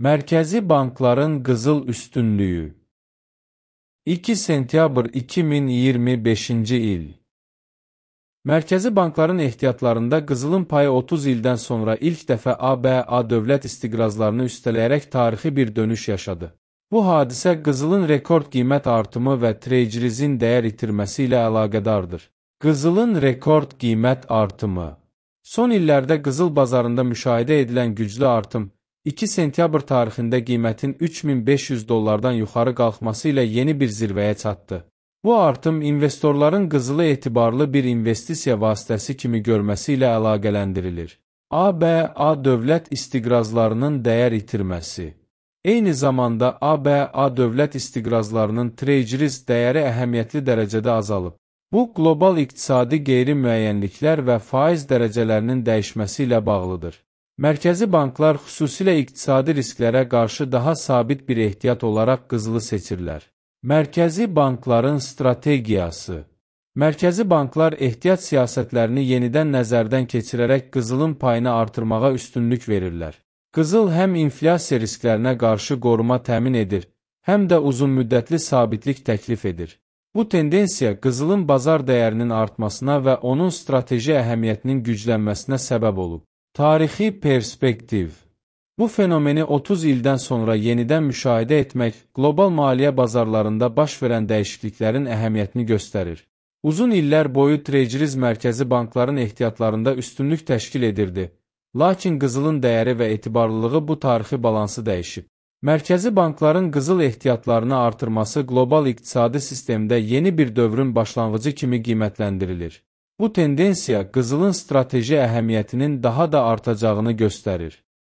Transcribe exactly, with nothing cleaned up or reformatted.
Mərkəzi bankların qızıl üstünlüyü. iki sentyabr iki min iyirmi beşinci il. Mərkəzi bankların ehtiyatlarında qızılın payı otuz ildən sonra ilk dəfə A B A dövlət istiqrazlarını üstələyərək tarixi bir dönüş yaşadı. Bu hadisə qızılın rekord qiymət artımı və treasury'nin dəyər itirməsi ilə əlaqədardır. Qızılın rekord qiymət artımı. Son illərdə qızıl bazarında müşahidə edilən güclü artım, iki sentyabr tarixində qiymətin üç min beş yüz dollardan yuxarı qalxması ilə yeni bir zirvəyə çatdı. Bu artım investorların qızılı etibarlı bir investisiya vasitəsi kimi görməsi ilə əlaqələndirilir. A B A dövlət istiqrazlarının dəyər itirməsi. Eyni zamanda A B A dövlət istiqrazlarının treasuries dəyəri əhəmiyyətli dərəcədə azalıb. Bu, qlobal iqtisadi qeyri-müəyyənliklər və faiz dərəcələrinin dəyişməsi ilə bağlıdır. Mərkəzi banklar xüsusilə iqtisadi risklərə qarşı daha sabit bir ehtiyat olaraq qızılı seçirlər. Mərkəzi bankların strategiyası. Mərkəzi banklar ehtiyat siyasətlərini yenidən nəzərdən keçirərək qızılın payını artırmağa üstünlük verirlər. Qızıl həm inflyasiya risklərinə qarşı qoruma təmin edir, həm də uzunmüddətli sabitlik təklif edir. Bu tendensiya qızılın bazar dəyərinin artmasına və onun strateji əhəmiyyətinin güclənməsinə səbəb olub. Tarixi perspektiv. Bu fenomeni otuz ildən sonra yenidən müşahidə etmək, qlobal maliyyə bazarlarında baş verən dəyişikliklərin əhəmiyyətini göstərir. Uzun illər boyu treasuries mərkəzi bankların ehtiyatlarında üstünlük təşkil edirdi, lakin qızılın dəyəri və etibarlılığı bu tarixi balansı dəyişib. Mərkəzi bankların qızıl ehtiyatlarını artırması qlobal iqtisadi sistemdə yeni bir dövrün başlanğıcı kimi qiymətləndirilir. Bu tendensiya qızılın strateji əhəmiyyətinin daha da artacağını göstərir.